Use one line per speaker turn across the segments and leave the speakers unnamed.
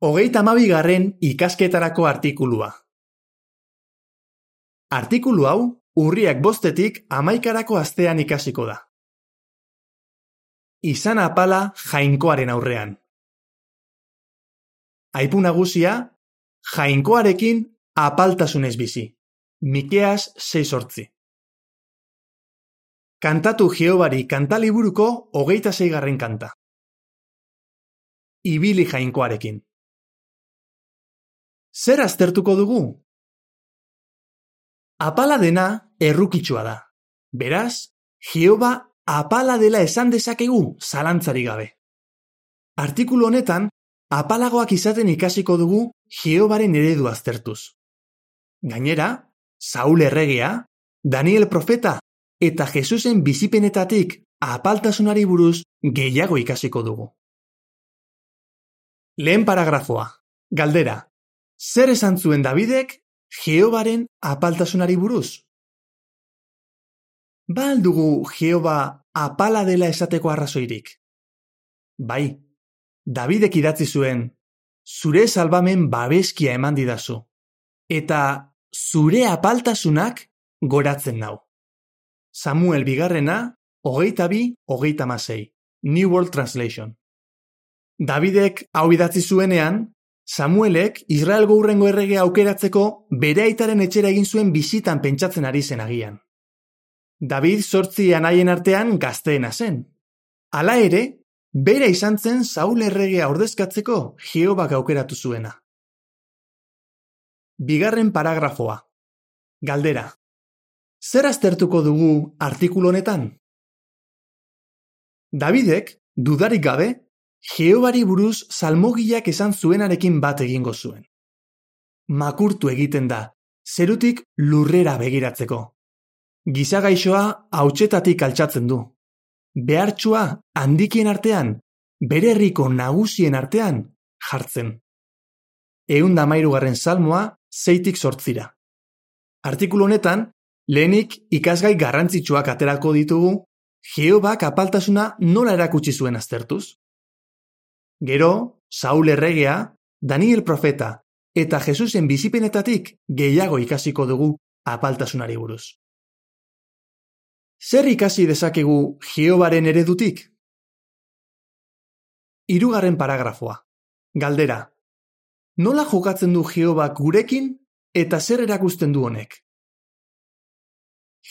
32. ikasketarako artikulua. Artikulu hau urriak 5-tik 11-karako astean ikasiko da. Izan apala Jainkoaren aurrean. Aipu nagusia, Jainkoarekin apaltasunez bizi. Mikeas 6:8. Kantatu Jehobari kantaliburuko 26. kanta. Ibili Jainkoarekin. Zer aztertuko dugu? Apala dena errukitsua da. Beraz, Jehova apala dela esan dezakegu zalantzarik gabe. Artikulu honetan, apalagoak izaten ikasiko dugu Jehobaren eredu aztertuz. Gainera, Saul erregea, Daniel profeta eta Jesusen bizipenetatik apaltasunari buruz gehiago ikasiko dugu. Lehen paragrafoa. Galdera. Zer esan zuen Davidek Jehobaren apaltasunari buruz? Ba al dugu Jehova apala dela esateko arrazoirik? Bai, Davidek idatzi zuen, zure salbamen babeskia eman didazu, eta zure apaltasunak goratzen nau. Samuel 2, 22-36, New World Translation. Davidek hau idatzi zuenean, Samuelek Israelgo hurrengo erregea aukeratzeko bere aitaren etxera egin zuen bisitan pentsatzen ari zen agian. David 8 anaien artean gazteena zen. Hala ere, bera izan zen Saul erregea ordezkatzeko Jehobak aukeratu zuena. 2. paragrafoa. Galdera. Zer aztertuko dugu artikulu honetan? Davidek, dudarik gabe, Jehobari buruz salmogiak esan zuenarekin bat egingo zuen. Makurtu egiten da, zerutik lurrera begiratzeko. Gizagaixoa hautsetatik altxatzen du. Behartsua handikien artean, bere herriko nagusien artean jartzen. 113. salmoa 6-8. Artikulu honetan, lehenik ikasgai garrantzitsuak aterako ditugu, Jehobak apaltasuna nola erakutsi zuen aztertuz. Gero, Saul erregea, Daniel profeta eta Jesusen bizipenetatik gehiago ikasiko dugu apaltasunari buruz. Zer ikasi dezakegu Jehobaren eredutik? 3. paragrafoa. Galdera. Nola jokatzen du Jehobak gurekin eta zer erakusten du honek?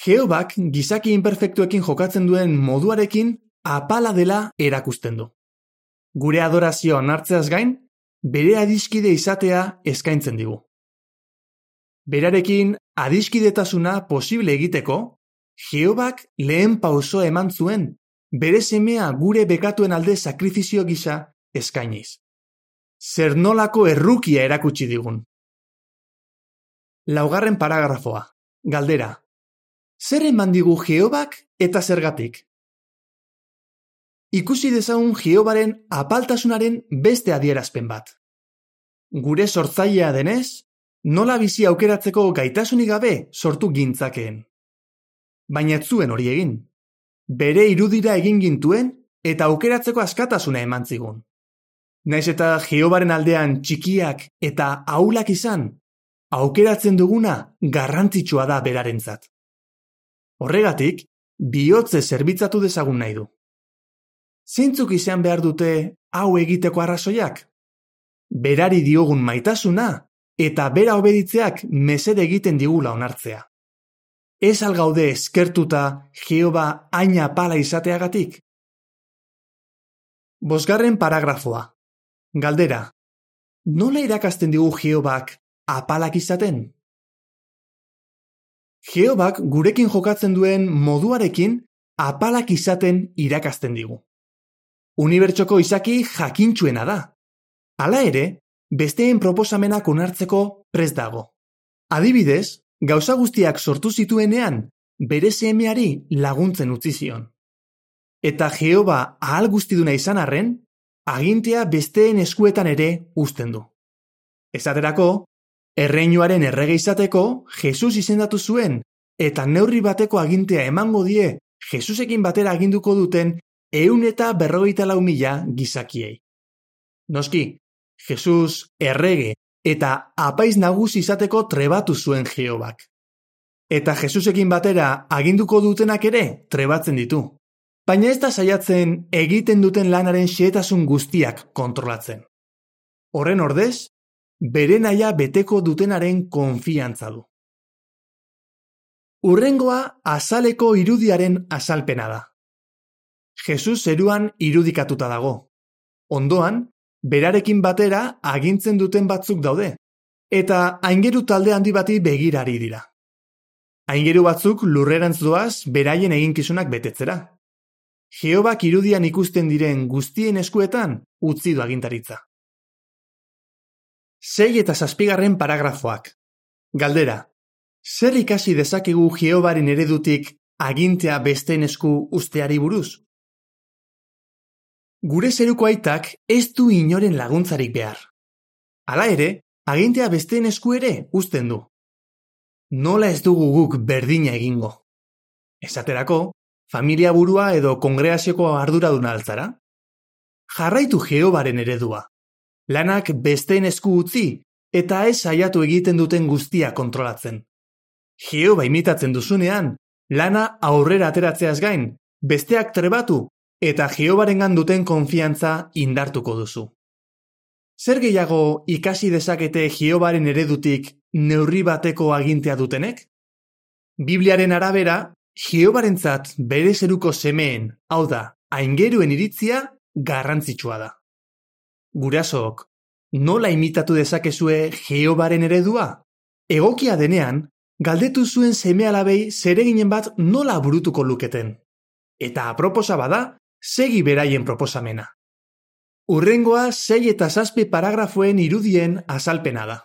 Jehobak gizaki inperfektuekin jokatzen duen moduarekin apala dela erakusten du. Gure adorazioa onartzeaz gain, bere adiskide izatea eskaintzen digu. Berarekin adiskidetasuna posible egiteko, Jehobak lehen pausoa eman zuen, bere semea gure bekatuen alde sakrifizio gisa eskainiz. Zer nolako errukia erakutsi digun. 4. paragrafoa. Galdera. Zer eman digu Jehobak eta zergatik? Ikusi dezagun Jehobaren apaltasunaren beste adierazpen bat. Gure sortzailea denez, nola bizi aukeratzeko gaitasunik gabe sortu gintzakeen. Baina ez zuen hori egin. Bere irudira egin gintuen eta aukeratzeko askatasuna eman zigun. Naiz eta Jehobaren aldean txikiak eta ahulak izan, aukeratzen duguna garrantzitsua da berarentzat. Horregatik, bihotze zerbitzatu dezagun nahi du. Zeintzuk izan behar dute hau egiteko arrazoiak? Berari diogun maitasuna eta bera obeditzeak mesede egiten digula onartzea. Ez al gaude eskertuta Jehova hain apala izateagatik? 5. paragrafoa. Galdera. Nola irakasten digu Jehobak apalak izaten? Jehobak gurekin jokatzen duen moduarekin apalak izaten irakasten digu. Unibertsoko izaki jakintsuena da. Hala ere, besteen proposamenak onartzeko prest dago. Adibidez, gauza guztiak sortu zituenean, bere semeari laguntzen utzi zion. Eta Jehova ahal guztiduna izan arren, agintea besteen eskuetan ere uzten du. Esaterako, erreinuaren errege izateko Jesus izendatu zuen, eta neurri bateko agintea emango die Jesusekin batera aginduko duten 154.000 gizakiei. Noski, Jesus errege eta apaiz nagusi izateko trebatu zuen Jehobak. Eta Jesusekin batera aginduko dutenak ere trebatzen ditu. Baina ez da saiatzen egiten duten lanaren xehetasun guztiak kontrolatzen. Horren ordez, bere nahia beteko dutenaren konfiantza du. Hurrengoa azaleko irudiaren azalpena da. Jesus zeruan irudikatuta dago. Ondoan, berarekin batera agintzen duten batzuk daude, eta aingeru talde handi bati begirari dira. Aingeru batzuk lurrerantz doaz beraien eginkizunak betetzera. Jehobak irudian ikusten diren guztien eskuetan utzi du agintaritza. 6 eta 7 paragrafoak. Galdera. Zer ikasi dezakegu Jehobaren eredutik agintea besteen esku usteari buruz? Gure zeruko aitak ez du inoren laguntzarik behar. Hala ere, agintea besteen esku ere uzten du. Nola ez dugu guk berdina egingo? Esaterako, familia burua edo kongregazioko arduraduna altzara? Jarraitu Jehobaren eredua. Lanak besteen esku utzi eta ez saiatu egiten duten guztia kontrolatzen. Jehova imitatzen duzunean, lana aurrera ateratzeaz gain, besteak trebatu eta Jehobarengan duten konfiantza indartuko duzu. Zer gehiago ikasi dezakete Jehobaren eredutik neurri bateko agintea dutenek? Bibliaren arabera, Jehobarentzat bere zeruko semeen, hau da, aingeruen iritzia garrantzitsua da. Gurasook, nola imitatu dezakezue Jehobaren eredua? Egokia denean, galdetu zuen seme-alabei zereginen bat nola burutuko luketen. Eta aproposa bada, segi beraien proposamena. Hurrengoa 6 eta 7 paragrafoen irudien azalpena da.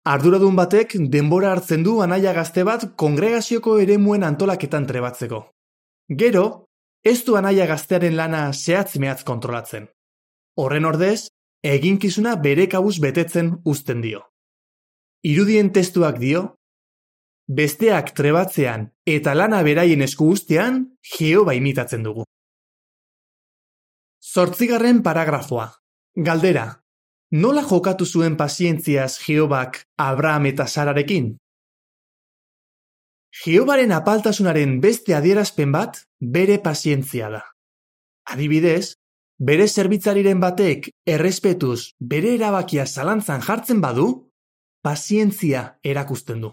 Arduradun batek denbora hartzen du anaia gazte bat kongregazioko eremuen antolaketan trebatzeko. Gero, ez du anaia gaztearen lana zehatz-mehatz kontrolatzen. Horren ordez, eginkizuna bere kabuz betetzen uzten dio. Irudien testuak dio, besteak trebatzean eta lana beraien esku uztean, Jehova imitatzen dugu. 8. paragrafoa. Galdera. Nola jokatu zuen pazientziaz Jehobak Abraham eta Sararekin? Jehobaren apaltasunaren beste adierazpen bat bere pazientzia da. Adibidez, bere zerbitzariren batek errespetuz bere erabakia zalantzan jartzen badu, pazientzia erakusten du.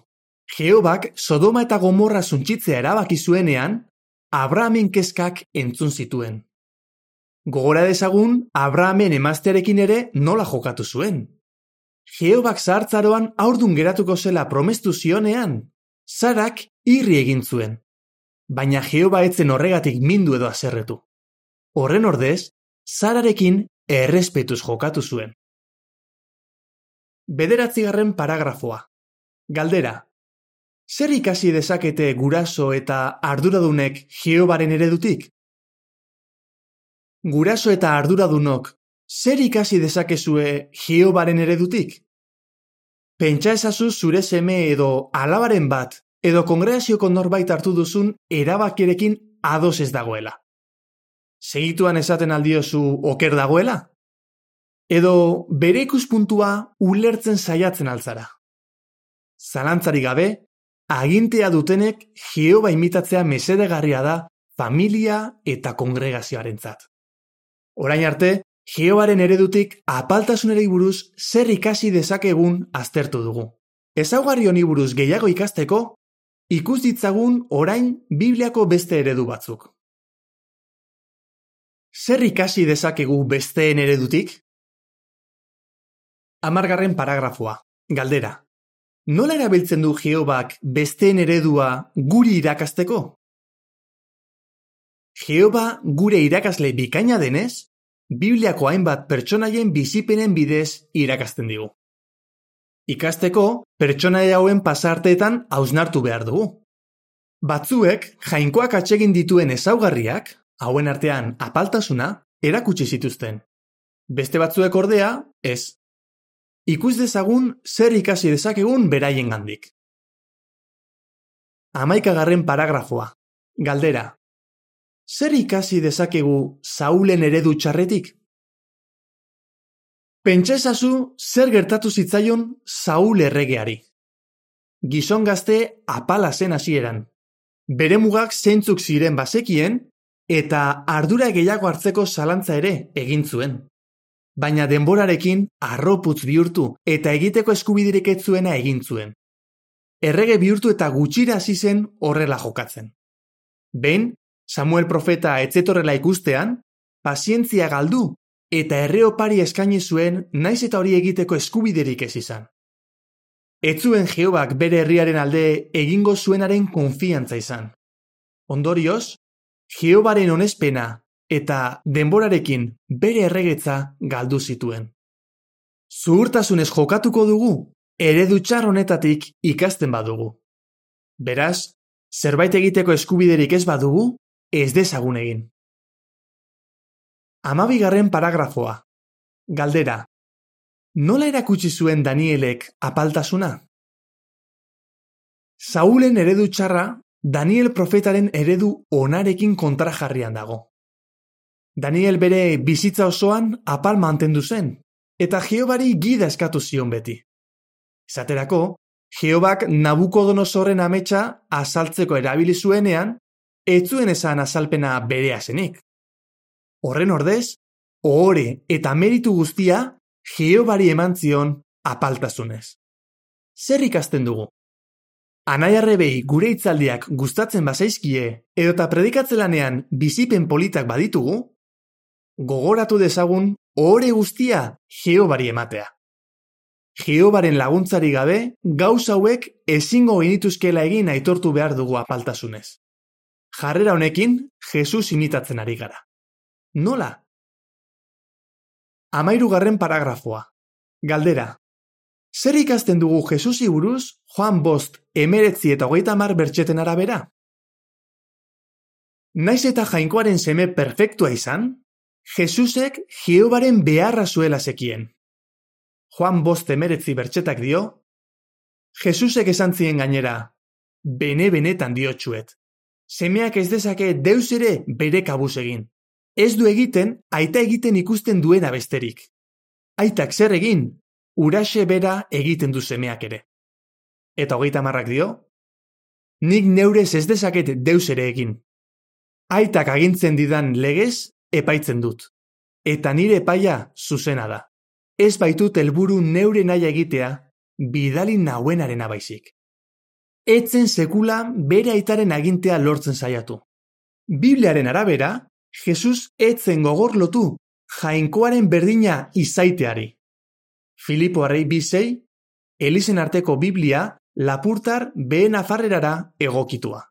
Jehobak Sodoma eta Gomorra suntsitzea erabaki zuenean, Abrahamen kezkak entzun zituen. Gogora dezagun, Abrahamen emaztearekin ere nola jokatu zuen. Jehobak zahartzaroan haurdun geratuko zela promestu zionean, Sarak irri egin zuen. Baina Jehova etzen horregatik mindu edo haserretu. Horren ordez, Sararekin errespetuz jokatu zuen. 9. paragrafoa. Galdera. Zer ikasi dezakete guraso eta arduradunek Jehobaren eredutik? Guraso eta arduradunok, zer ikasi dezakezue Jehobaren eredutik? Pentsa ezazu zure seme edo alabaren bat, edo kongregazioko norbait hartu duzun erabakirekin ados ez dagoela. Segituan esaten aldiozu oker dagoela? Edo bere ikuspuntua ulertzen saiatzen altzara. Zalantzarik gabe, agintea dutenek Jehova imitatzea mesedegarria da familia eta kongregazioarentzat. Orain arte, Jehobaren eredutik apaltasunerei buruz zer ikasi dezakegun aztertu dugu. Ezaugarri honi buruz gehiago ikasteko, ikus ditzagun orain Bibliako beste eredu batzuk. Zer ikasi dezakegu besteen eredutik? 10. paragrafoa. Galdera. Nola erabiltzen du Jehobak besteen eredua guri irakasteko? Jehova gure irakasle bikaina denez, Bibliako hainbat pertsonaien bizipenen bidez irakasten digu. Ikasteko, pertsonaia hauen pasarteetan hausnartu behar dugu. Batzuek, jainkoak atsegin dituen ezaugarriak, hauen artean apaltasuna, erakutsi zituzten. Beste batzuek ordea, ez. Ikus dezagun zer ikasi dezakegun beraiengandik. 11. paragrafoa. Galdera. Zer ikasi dezakegu Saulen eredu txarretik? Pentsa ezazu zer gertatu zitzaion Saul erregeari. Gizon gazte apala zen hasieran. Bere mugak zeintzuk ziren bazekien eta ardura gehiago hartzeko zalantza ere egin zuen. Baina denborarekin harroputz bihurtu eta egiteko eskubiderik ez zuena egin zuen. Errege bihurtu eta gutxira hasi zen horrela jokatzen. Behin, Samuel profeta ez zetorrela ikustean, pazientzia galdu eta erre opari eskaini zuen naiz eta hori egiteko eskubiderik ez izan. Ez zuen Jehobak bere herriaren alde egingo zuenaren konfiantza izan. Ondorioz, Jehobaren onespena eta denborarekin bere erregetza galdu zituen. Zuhurtasunez jokatuko dugu, eredu txar honetatik ikasten badugu. Beraz, zerbait egiteko eskubiderik ez badugu, ez dezagun egin. 12. paragrafoa. Galdera. Nola erakutsi zuen Danielek apaltasuna? Saulen eredu txarra Daniel profetaren eredu onarekin kontrajarrian dago. Daniel bere bizitza osoan apal mantendu zen, eta Jehobari gida eskatu zion beti. Esaterako, Jehobak Nabukodonosorren ametsa azaltzeko erabili zuenean, ez zuen esan azalpena berea zenik. Horren ordez, ohore eta meritu guztia Jehobari eman zion apaltasunez. Zer ikasten dugu? Anaiarrebei gure hitzaldiak gustatzen bazaizkie edota predikatzelanean bizipen politak baditugu, gogoratu dezagun ohore guztia Jehobari ematea. Jehobaren laguntzari gabe, gauza hauek ezingo genituzkela egin aitortu behar dugu apaltasunez. Jarrera honekin, Jesus imitatzen ari gara. Nola? 13. paragrafoa. Galdera. Zer ikasten dugu Jesusi buruz Joan 5:19-30 bertxeten arabera? Naiz eta jainkoaren seme perfektua izan, Jesusek Jehobaren beharra zuela zekien. Joan 5:19 bertxetak dio, Jesusek esan zien gainera, bene-benetan diotsuet. Semeak ez dezake deus ere bere kabuz egin. Ez du egiten, aita egiten ikusten duena besterik. Aitak zer egin, uraxe bera egiten du semeak ere. Eta 30 dio, nik neurez ez dezaket deus ere egin. Aitak agintzen didan legez, epaitzen dut. Eta nire epaia zuzena da. Ez baitut helburu neure nahi egitea, bidali nauenarena baizik. Etzen sekula bere aitaren agintea lortzen saiatu. Bibliaren arabera, Jesus etzen gogor lotu jainkoaren berdina izaiteari. Filipoarrei 2:6, Elizen arteko Biblia lapurtar behe nafarrerara egokitua.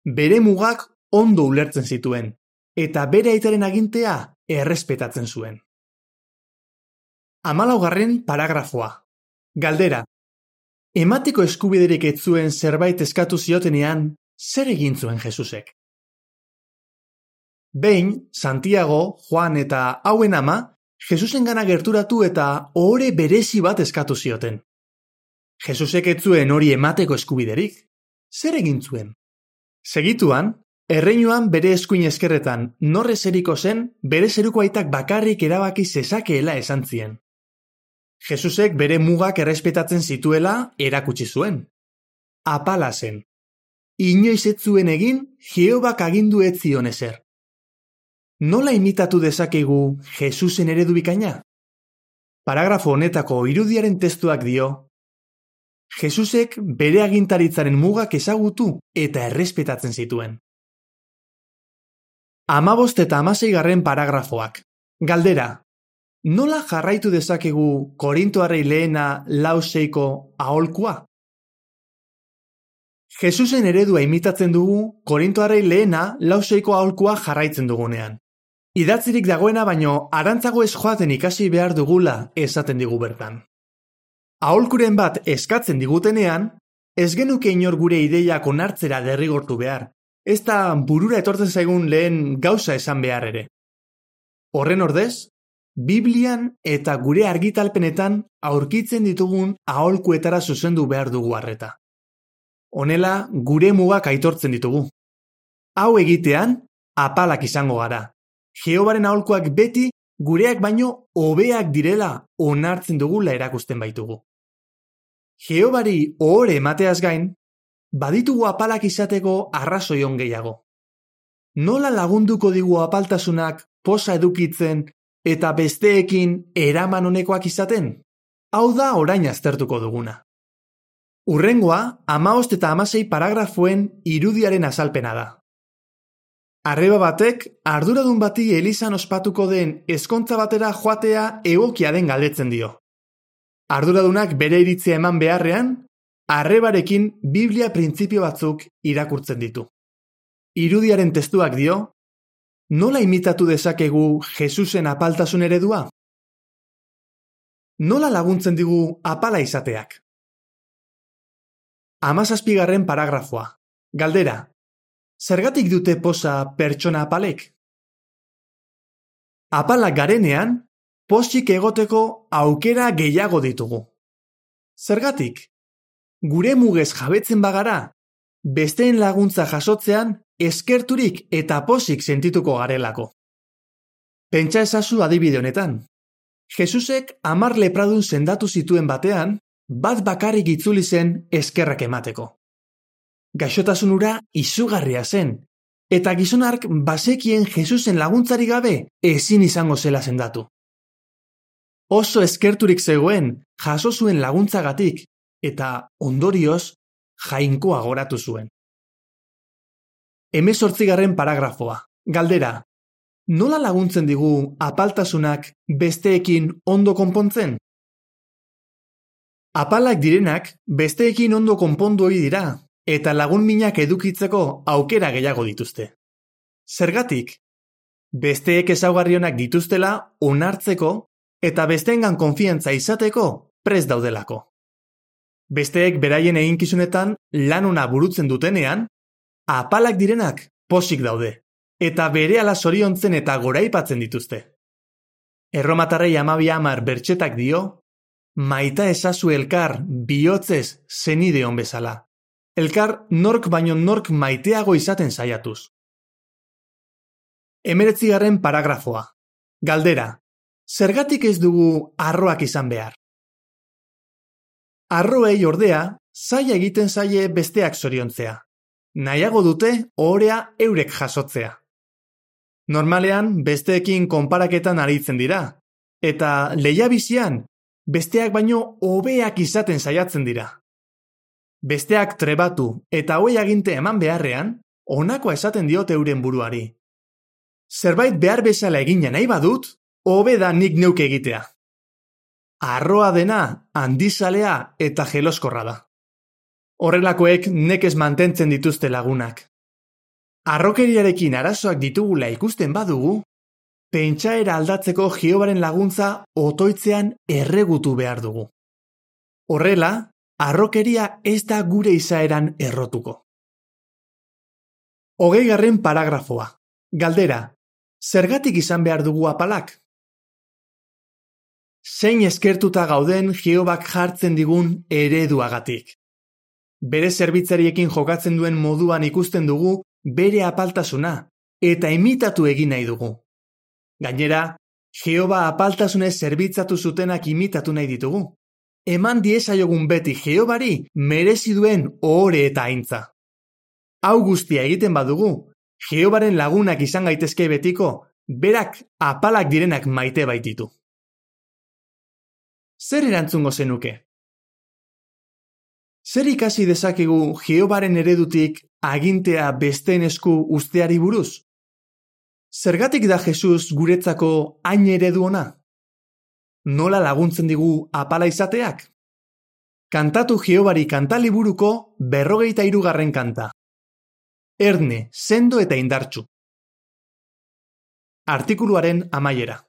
Bere mugak ondo ulertzen zituen, eta bere aitaren agintea errespetatzen zuen. 14. paragrafoa. Galdera. Emateko eskubiderik ez zuen zerbait eskatu ziotenean, zer egin zuen Jesusek? Behin, Santiago, Juan eta hauen ama, Jesusengana gerturatu eta ohore berezi bat eskatu zioten. Jesusek ez zuen hori emateko eskubiderik. Zer egin zuen? Segituan, erreinuan bere eskuin eskerretan norre zeriko zen, bere zeruko aitak bakarrik erabaki zezakeela esan zien. Jesusek bere mugak errespetatzen zituela erakutsi zuen. Apala zen. Inoiz ez zuen egin, Jehobak agindu ez zion ezer. Nola imitatu dezakegu Jesusen eredu bikaina? Paragrafo honetako irudiaren testuak dio, Jesusek bere agintaritzaren mugak ezagutu eta errespetatzen zituen. 15 eta 16 paragrafoak. Galdera. Nola jarraitu dezakegu Korintoarrei lehena 4:6 aholkua? Jesusen eredua imitatzen dugu Korintoarrei lehena 4:6 aholkua jarraitzen dugunean. Idatzirik dagoena baino arantzago ez joaten ikasi behar dugula esaten digu bertan. Aholkuren bat eskatzen digutenean, ez genuke inor gure ideiak onartzera derrigortu behar, ez da burura etortzen zaigun lehen gauza esan behar ere. Horren ordez, Biblian eta gure argitalpenetan aurkitzen ditugun aholkuetara zuzendu behar dugu arreta. Honela, gure mugak aitortzen ditugu. Hau egitean, apalak izango gara. Jehobaren aholkuak beti gureak baino hobeak direla onartzen dugula erakusten baitugu. Jehobari ohore emateaz gain, baditugu apalak izateko arrazoi on gehiago. Nola lagunduko digu apaltasunak posa edukitzen eta besteekin eraman honekoak izaten? Hau da orain aztertuko duguna. Hurrengoa, 15 eta 16 paragrafoen irudiaren azalpena da. Arreba batek arduradun bati elizan ospatuko den ezkontza batera joatea egokia den galdetzen dio. Arduradunak bere iritzia eman beharrean, arrebarekin Biblia printzipio batzuk irakurtzen ditu. Irudiaren testuak dio, nola imitatu dezakegu Jesusen apaltasun eredua? Nola laguntzen digu apala izateak? 17. paragrafoa. Galdera. Zergatik dute posa pertsona apalek? Apalak garenean, pozik egoteko aukera gehiago ditugu. Zergatik? Gure mugez jabetzen bagara, besteen laguntza jasotzean eskerturik eta pozik sentituko garelako. Pentsa ezazu adibide honetan. Jesusek 10 lepradun sendatu zituen batean, bat bakarrik itzuli zen eskerrak emateko. Gaixotasun hura izugarria zen, eta gizonark bazekien Jesusen laguntzari gabe ezin izango zela sendatu. Oso eskerturik zegoen jaso zuen laguntzagatik, eta ondorioz jainkoa goratu zuen. 18. paragrafoa. Galdera. Nola laguntzen digu apaltasunak besteekin ondo konpontzen? Apalak direnak besteekin ondo konpondu ohi dira, eta lagun minak edukitzeko aukera gehiago dituzte. Zergatik? Besteek ezaugarri onak dituztela onartzeko eta besteengan konfiantza izateko prest daudelako. Besteek beraien eginkizunetan lan ona burutzen dutenean, apalak direnak pozik daude, eta berehala zoriontzen eta goraipatzen dituzte. Erromatarrei 12:10 bertxetak dio, maita ezazu elkar bihotzez zenideon bezala. Elkar nork baino nork maiteago izaten saiatuz. 19. paragrafoa. Galdera. Zergatik ez dugu harroak izan behar? Harroei ordea, zaila egiten zaie besteak zoriontzea. Nahiago dute ohorea eurek jasotzea. Normalean, besteekin konparaketan aritzen dira, eta lehiabizian, besteak baino hobeak izaten saiatzen dira. Besteak trebatu eta hoi aginte eman beharrean, honakoa esaten diote euren buruari. Zerbait behar bezala egina nahi badut, hobe da nik neuk egitea. Harroa dena, handizalea eta jeloskorra da. Horrelakoek nekez mantentzen dituzte lagunak. Harrokeriarekin arazoak ditugula ikusten badugu, pentsaera aldatzeko Jehobaren laguntza otoitzean erregutu behar dugu. Horrela, harrokeria ez da gure izaeran errotuko. 20. paragrafoa. Galdera. Zergatik izan behar dugu apalak? Zein eskertuta gauden Jehobak jartzen digun ereduagatik. Bere zerbitzariekin jokatzen duen moduan ikusten dugu bere apaltasuna eta imitatu egin nahi dugu. Gainera, Jehova apaltasunez zerbitzatu zutenak imitatu nahi ditugu. Eman diezaiogun beti Jehobari merezi duen ohore eta aintza. Hau guztia egiten badugu, Jehobaren lagunak izan gaitezke betiko, berak apalak direnak maite baititu. Zer erantzungo zenuke? Zer ikasi dezakegu Jehobaren eredutik agintea besteen esku usteari buruz? Zergatik da Jesus guretzako hain eredu ona? Nola laguntzen digu apala izateak? Kantatu Jehobari kantaliburuko 43. kanta. Erne, sendo eta indartsu. Artikuluaren amaiera.